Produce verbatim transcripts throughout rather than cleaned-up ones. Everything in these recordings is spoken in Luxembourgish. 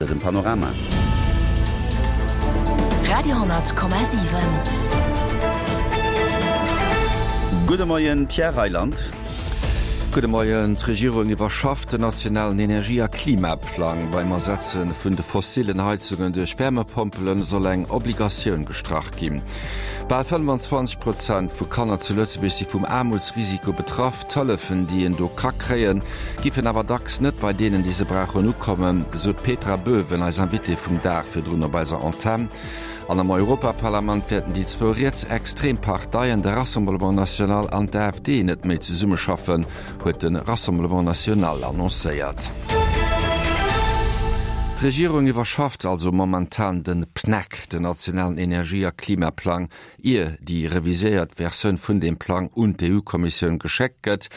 Dësem Panorama. Radio hundert Komma siwen. Gudde Moien, Pierre Reyland. Gudde Moien. D'Regierung iwwerschafft den nationalen Energie a Klimaplang. Beim Ersetze vun de fossillen Heizungen duerch Wärmepompele soll eng Obligatioun gestrach ginn. Bal fënnfanzwanzeg Prozent vu Kanner zu Lëtzebuerg si vum Aarmutsrisiko betraff. D'Hëllefen, déi een do ka kréien, giffen awer dacks net bei deenen, déi se brauchen, ukommen, sou d'Petra Böwen, eis Invitée vum Dag virdrun op eiser Antenn. An am Europaparlament wäerten déi zwou rietsextrem Parteien, de Rassemblement National an d'AfD, net méi zesummeschaffen, huet de Rassemblement National annoncéiert. D'Regierung iwwerschafft also momentan den PNEC, den nationalen Energie a Klimaplang, ier déi reviséiert Versioun vun deem Plang un d'EU-Kommissioun geschéckt gëtt.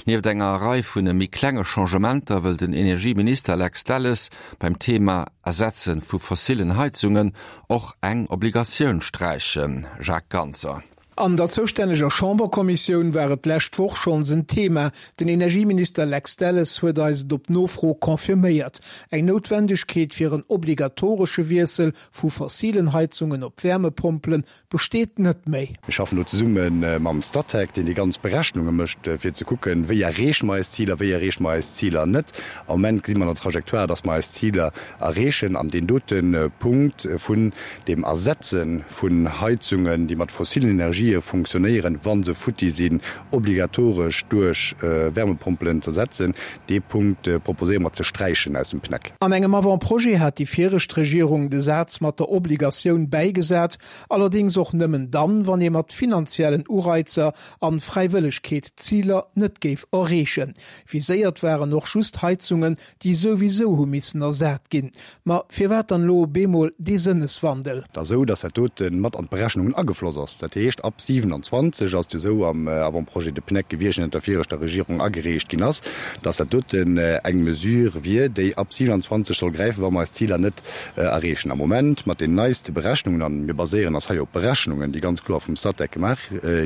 Nieft enger Rei vun méi klenge Changementer wëll den Energieminister Lex Delles beim Thema Ersetze vu fossillen Heizungen och eng Obligatioun sträichen. Jacques Ganser. An der zoustänneger Chamberkommissioun war et d'lescht Woch schonns en Thema. Den Energieminister Lex Delles huet eis et op Nofro confirméiert. Eng Noutwendegkeet fir en obligatoresche Wiessel vu fossilen Heizungen op Wärmepompele besteet net méi. Mir schaffen do zesumme mam Statec, deen déi ganz Berechnunge mécht, fir ze kucken, wéi erreeche mer eis Ziler, wéi erreeche mer eis Ziler net. Am Moment gesi mer an der Trajectoire, dass mer eis Ziler erreechen. An deen dote Punkt vun deem Ersetze vun Heizungen, déi mat fossilen Energië funktionéieren, wa se futti sinn, obligatoresch duerch Wärmepompelen z'ersetzen, dee Punkt proposéiere mer ze sträichen aus dem PNEC. An engem Avant-projet hat déi viregt Regierung de Saz mat der Obligatioun bäigesat, allerdéngs och nëmmen dann, wann ee mat finanziellen Ureizer an Fräiwëllegkeet d'Ziler net géif erreechen. Viséiert waren och just Heizungen, déi souwisou hu missen ersat ginn. Ma firwat dann elo op eemol dee Sënneswandel? Et ass esou, dass dat dote mat an d'Berechnungen agefloss ass. Dat heescht, ab siewenundzwanzeg ass et jo esou am Avant-projet de PNEC gewiescht, deen ënner der viregter Regierung agereecht ginn ass, dass dat doten eng Mesure wier, déi ab siewenundzwanzeg soll gräifen, wa mer eis Ziler net erreechen. Am Moment, mat den neiste Berechnungen, a mir baséieren eis hei op Berechnungen, déi ganz kloer vum Statec gemaach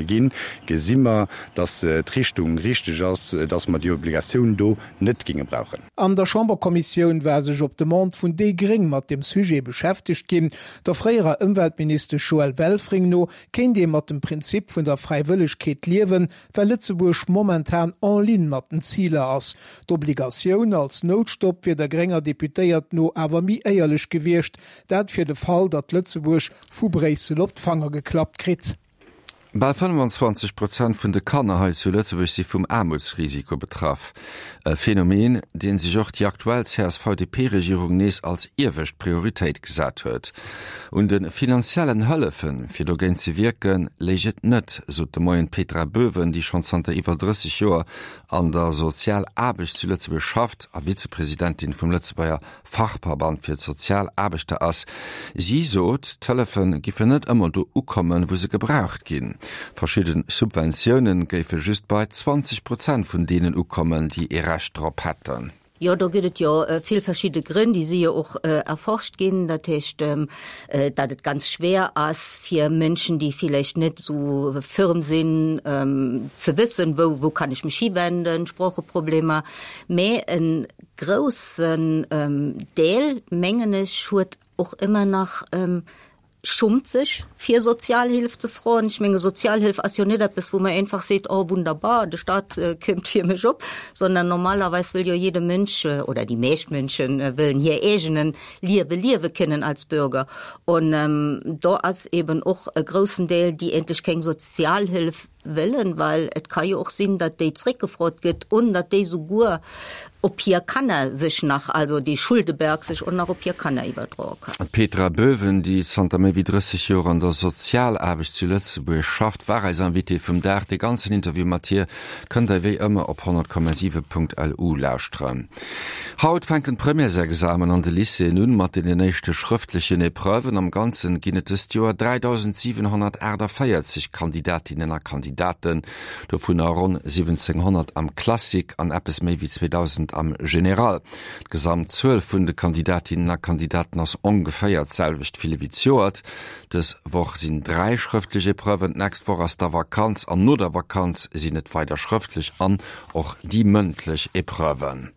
ginn, gesi mer, dass d'Richtung richteg ass, dass mer déi Obligatioun do net géinge brauchen. An der Chamberkommissioun war sech op Demande vun déi Gréng mat dem Sujet beschäftegt ginn. Der fréierer Ëmweltministesch Joëlle Welfring no kéint ee mat dem Prinzip vun der Fräiwëllegkeet liewen, well Lëtzebuerg momentan en ligne mat den Ziler ass. D'Obligatioun als Noutstopp wier der grénger Deputéiert no awer méi éierlech gewiescht, dat fir de Fall, datt Lëtzebuerg vu Bréissel op d'Fanger geklappt kritt. Bal fënnfanzwanzeg Prozent vun de Kanner hei zu Lëtzebuerg si vum Aarmutsrisiko betraff. E Phänomen, deen sech och déi aktuell C S V D P-Regierung nees als iewescht Prioritéit gesat huet. Un de finanziellen Hëllefen, fir dogéint ze wierken, léich et net, sot de Moien d'Petra Böwen, déi schonn zanter iwwer drësseg Joer an der Sozialaarbecht zu Lëtzebuerg schafft a Vizepresidentin vum Lëtzebuerger Fachverband fir d'Sozialaarbechter ass. Si sot, d'Hëllefe giffen net ëmmer do ukommen, wou se gebraucht ginn. Verschidde Subventioune géife just bei zwanzeg Prozent vun deenen ukommen, déi ee Recht drop hätten. Jo, do gëtt et jo vill verschidde Grënn, déi si jo och äh, erforscht ginn. Dat heescht, ähm, äh, datt et ganz schwer ass fir Mënschen, déi villäicht net sou firm sinn, ähm, ze wëssen, wou, wou kann ech mech hiwenden, Sproocheproblemer. Mee en groussen ähm, Deel, mengen ech, huet och ëmmer nach ähm, schummt sech fir Sozialhilf ze froen. Ech menge Sozialhilf ass jo net eppes, wou man einfach seet, oh wunderbar, de Staat äh, këmmt fir mech op, sondern normalerweis wëll jo jede Mënsch äh, oder déi meescht Mënschen äh, wëllen hir eegenen Liewe liewe kënnen als Bürger. Und ähm, do ass eben och e groussen Deel, déi eigentlech keng Sozialhilf wëllen, well et ka jo och sinn, datt déi zréckgefrot gëtt und datt déi souguer op hir Kanner sech nach, also de Schuldeberg sech och nach op hir Kanner iwwerdroe kann. D'Petra Böwen, déi zanter méi wéi drësseg Joer an der Sozialaarbecht zu Lëtzebuerg schafft, war eis Invitée vum Dag. De ganzen Interview mat hir kënnt der wéi ëmmer op honnert Komma siwe Punkt L U lauschteren. Haut fänken d'Premièresexamen an de Lycéeën un mat den éischte schrëftlechen Epreuven. Am Ganzen ginn et dëst Joer dräidausendsiwenhonnertaachtavéierzeg Kandidatinnen a Kandidaten, dovunner ronn siwwenzénghonnert am Classique an eppes méi wéi zweedausend Prozent am General. D'Gesamtzuel vun de Kandidatinnen a Kandidaten ass ongeféier d'selwecht vill ewéi zejoert. Dës Woch sinn dräi schrëftlech Epreuven, d'nächst Woch ass da Vakanz an no der Vakanz sinn et weider schrëftlech an och déi mëndlech Epreuven.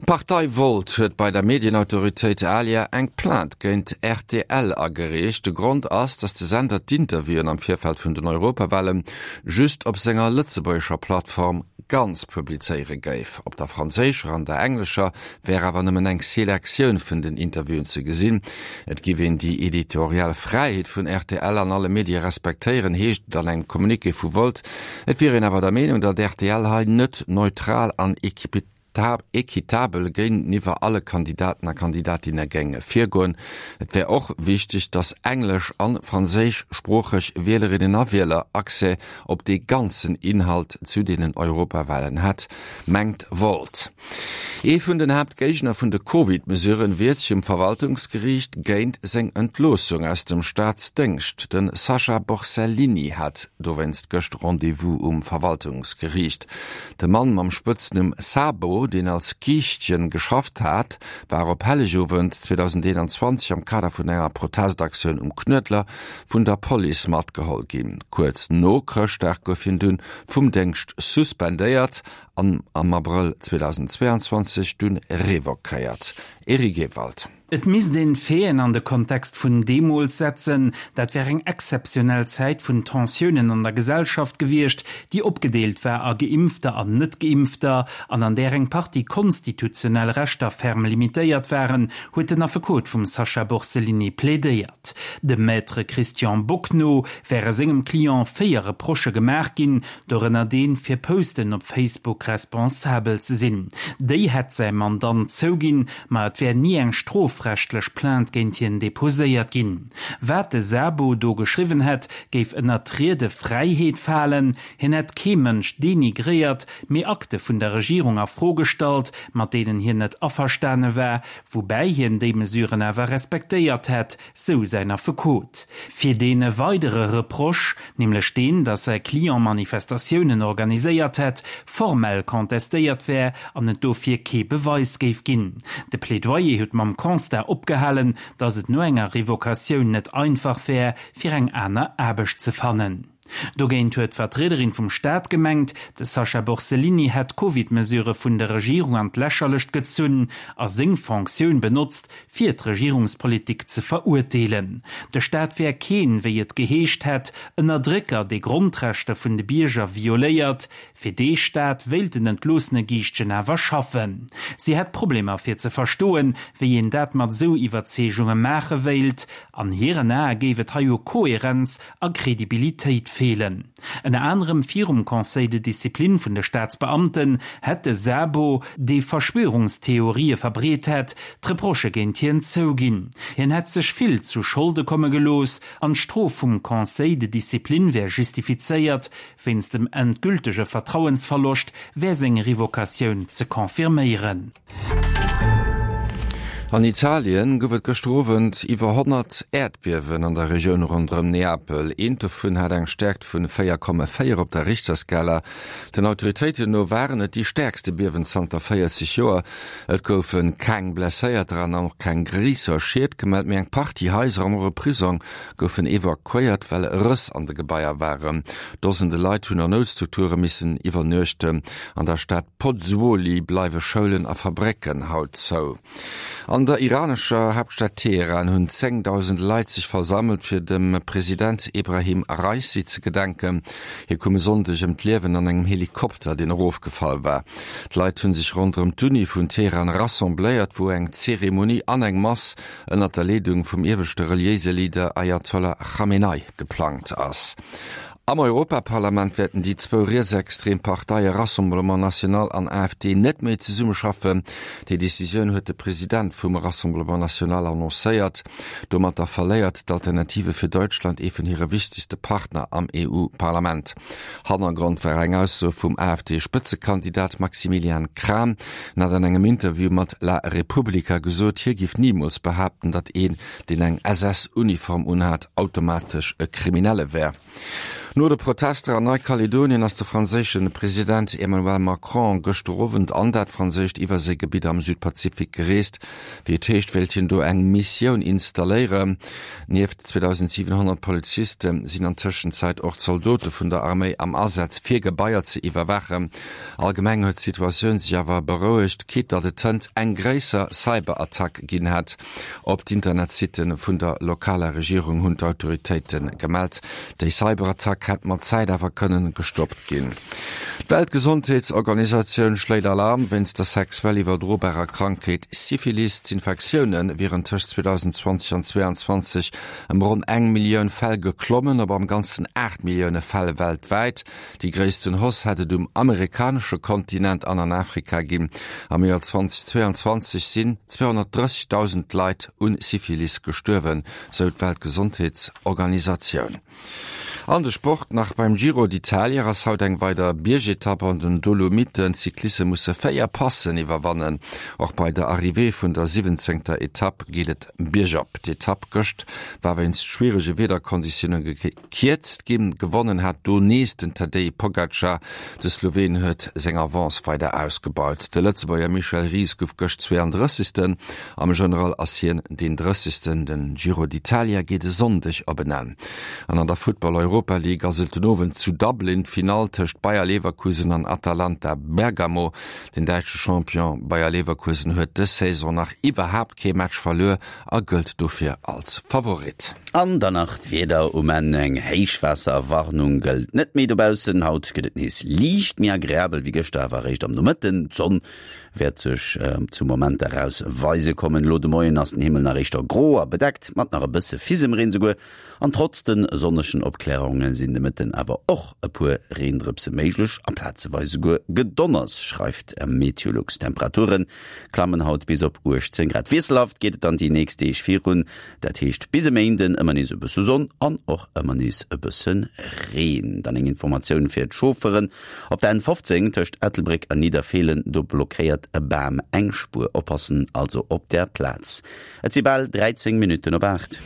D'Partei Volt huet bei der Medienautoritéit ALIA eng Plainte géint rtl agereecht. De Grond ass, datt de Sender d'Interviewen am Virfeld vun den Europawale just op senger lëtzebuergescher Plattform ganz publizéiere géif. Op der franséischer an der englescher wär awer nëmmen eng Selektioun vun den Interviewen ze gesinn. Et giff een déi editorial Fräiheet vun rtl an alle Medie respektéieren, heescht et an engem Communiqué vu Volt. Et wier een awer der Meenung, datt rtl hei net neutral an equitabel géinteniwwer alle Kandidaten a Kandidatinne géing virgoen. Et wär och wichteg, datt englesch an franséischsproocheg Wielerinnen a Wieler Accès op dee ganzen Inhalt zu deenen Europawahlen hätt, mengt Volt. Ee vun den Haaptgéigner vun de Covid-Mesuren wiert sech um Verwaltungsgeriicht géint seng Entloossung aus dem Staatsdéngscht. De Sacha Borsellini hat dowéinst gëscht Rendez-vous um Verwaltungsgeriicht. De Mann mam Spëtznumm Sabo, deen als Giischtjen geschafft hat, war op Hellegowend zweedausendeenanzwanzeg am Kader vun enger Protestaktioun um Knuedler vun der Police matgeholl ginn. Kuerz no Chrëschtdag gouf hien dunn vum Déngscht suspendéiert an am Abrëll zweedausendzweeanzwanzeg dunn revoquéiert. Eric Ewald. Et misst een d'Faiten an de Kontext vun deemools setzen. Dat wär eng exzeptionell Zäit vun Tensiounen an der Gesellschaft gewiescht, déi opgedeelt war a Geimpfter an Net-Geimpfter an an där eng Partie konstitutionell Rechter ferm limitéiert waren, huet den Affekot vum Sacha Borsellini plädéiert. Dem Maître Christian Bock no wäre sengem Client véier Reprochë gemaach ginn, dorënner deen, fir Posten op Facebook responsabel ze sinn. Déi hätt säi Mandant zouginn, ma et wär ni eng strofrechtlech Plainte géint hien deposéiert ginn. Wat de Sabo do geschriwwen hätt, géif ënner d'Riedefräiheet falen, hien hätt kee Mënsch denigréiert, mee Akte vun der Regierung a Fro gestallt, mat deenen hien net averstane war, woubäi hien déi Mesuren awer respektéiert hätt, sou säin Affekot. Fir dee weidere Reproche, nämlech deen, datt säi Client Manifestatiounen organiséiert hätt, formell contestéiert wär an et dofir kee Beweis géif ginn. De Plädoyer huet mam Constat opgehalen, datt et no enger Revocatioun net einfach wär, fir eng aner Aarbecht ze fannen. Dogéint huet d'Vertriederin vum Staat gemengt, de Sacha Borsellini hätt d'Covid-Mesurë vun der Regierung an d'Lächerlecht gezunn a seng Fonctioun benotzt, fir d'Regierungspolitik ze verurteelen. De Staat wär keen, wéi et geheescht hätt, Ënnerdrécker, dee Grondrechter vun de Bierger violéiert. Fir dee Staat wéilt den entloossene Giischtjen awer schaffen. Si hätt Problemer fir ze verstoen, wéi een dat mat esou Iwwerzeegunge maache wéilt. An hiren Ae géif et hei u Koherenz a Kredibilitéit feelen. Ënner anerem virum Conseil de discipline vun de Staatsbeamten hätt de Sabo, dee Verschwörungstheorië verbreet hätt, d'Reprochë géint hien zouginn. Hien hätt sech vill zu Scholde komme gelooss an d'Strof vum Conseil de discipline wär justifizéiert. Wéinst dem endgültege Vertrauensverloscht wär seng Revocatioun ze confirméieren. An Italien gouf et gëschter Owend iwwer honnert Äerdbiewen an der Regioun ronderëm Neapel. Eent dovun hat eng Stäerkt vun véier Komma véier op der Richterskala. Den Autoritéiten no waren et déi stäerkste Biewen zanter véierzeg Joer. Et goufe keng Blesséierter an och keng gréisser Schied gemellt, mee eng Partie Haiser an och e Prisong goufen evakuéiert, well Rëss an de Gebaier waren. Dosende Leit hunn an Noutstrukture missen iwwernuechten. An der Stad Pozzuoli bleiwe Schoulen a Fabrécken haut zou. An der iranescher Haaptstad Teheran hunn zéngdausende Leit sech versammelt, fir dem President Ebrahim Raisi ze gedenken. Hie koum e Sonndeg ëm d'Liewen an engem Helikopter, deen erofgefall war. D'Leit hu sech ronderëm d'Uni vun Teheran rassembléiert, wou eng Zeremonie an eng Mass ënnert der Leedung vum ieweschte reliéise Leader Ayatollah Khamenei geplangt ass. Am Europaparlament wäerten déi zwou rietsextrem Parteie Rassemblement National an A F D net méi zesummeschaffen. Déi Decisioun huet de President vum Rassemblement National annoncéiert. Domatter verléiert d'Alternative für Deutschland ee vun hire wichtegste Partner am E U-Parlament. Hannergrond war eng Ausso vum A F D-Spëtzekandidat Maximilian Krah. En hat an engem Interview mat La Repubblica gesot, hie giff nimools behaapten, datt een, deen eng S S-Uniform unhat, automatesch e Kriminelle wär. No de Protester an Neikaledonien ass de franséische President Emmanuel Macron gëschter Owend an dat franséischt Iwwerséigebitt am Südpazifik gereest. Wéi et heescht, wéilt hien do eng Missioun installéieren. Nieft zweedausendsiwenhonnert Poliziste sinn an Tëschenzäit och Zaldote vun der Arméi am Asaz, fir Gebaier ze iwwerwaachen. Allgemeng huet d'Situatioun sech awer berouegt, quitte datt et hënt eng gréisser Cyberattack ginn hätt op d'Internetsitte vun der lokaler Regierung, hunn d'Autoritéite gemellt. Déi Cyberattack hätt mat Zäit awer kënnen gestoppt ginn. D'Weltgesondheetsorganisatioun schléit Alarm wéinst der sexuell iwwerdrobarer Krankheet Syphilis. D'Infektioune wieren tëscht zweedausendzwanzeg an zweeanzwanzeg ëm ronn eng Millioun Fäll geklommen, op am Ganzen aacht Millioune Fäll weltwäit. Déi gréissten Hausse hätt et um amerikanesche Kontinent an an Afrika ginn. Am Joer zweetausendzweianzwanzeg sinn zweehonnertdrëssegdausend Leit un Syphilis gestuerwen, sou d'Weltgesondheetsorganisatioun. An de Sport nach, Beim Giro d'Italia ass haut eng weider Biergetapp an den Dolomiten. D'Cycliste musse véier Passen iwwerwannen. Och bei der Arrivée vun der siwwenzéngter Etapp geet et biergop. D'Etapp gëscht war wéinst schwierege Wiederkonditioune gekierzt ginn. Gewonnen hat do nees den Tadej Pogacar. De Sloween huet seng Avance weider ausgebaut. De Lëtzebuerger Michel Ries gouf gëscht zweeandrëssegsten. Am General ass hien deen Drëssegsten. Den Giro d'Italia geet e Sonndeg op en Enn. An an der Futtball Europa League ass et den Owend zu Dublin d'Finall tëscht Bayer Leverkusen an Atalanta Bergamo. Den däitsche Champion Bayer Leverkusen huet dës Saison nach iwwerhaapt kee Match verluer a gëllt dofir als Favorit. An dann nach d'Wieder um Enn, Eng Héichwaasserwarnung gëllt net méi dobaussen. Haut gëtt et nees liicht méi agreabel wéi gëschter, awer eréischt am Nomëtten. D'Sonn wäert sech zu Momenter eraus weise kommen. Elo de Moien ass den Himmel nach éischter gro a bedeckt, mat nach e bësse Fisemreen esouguer. An trotz de sonnegen Opklärunge sinn de Mëtten awer och e puer Reendrëpse méiglech a plazeweis esouguer Gedonners, schreift Meteolux. D'Temperature klammen haut bis op uechtzéng Grad. Wiesselhaft geet et dann déi nächst Deeg virun, dat heescht bis e Méinden ëmmer nees e bësse Sonn an och ëmmer nees e bësse Reen. Dann eng Informatioun fir d'Chaufferen, Op der N fofzéng tëscht Ettelbréck an Nidderfeelen, do blockéiert e Bam eng Spuer. Oppassen also op där Plaz. Et si bal dräizéng Minutten op aacht.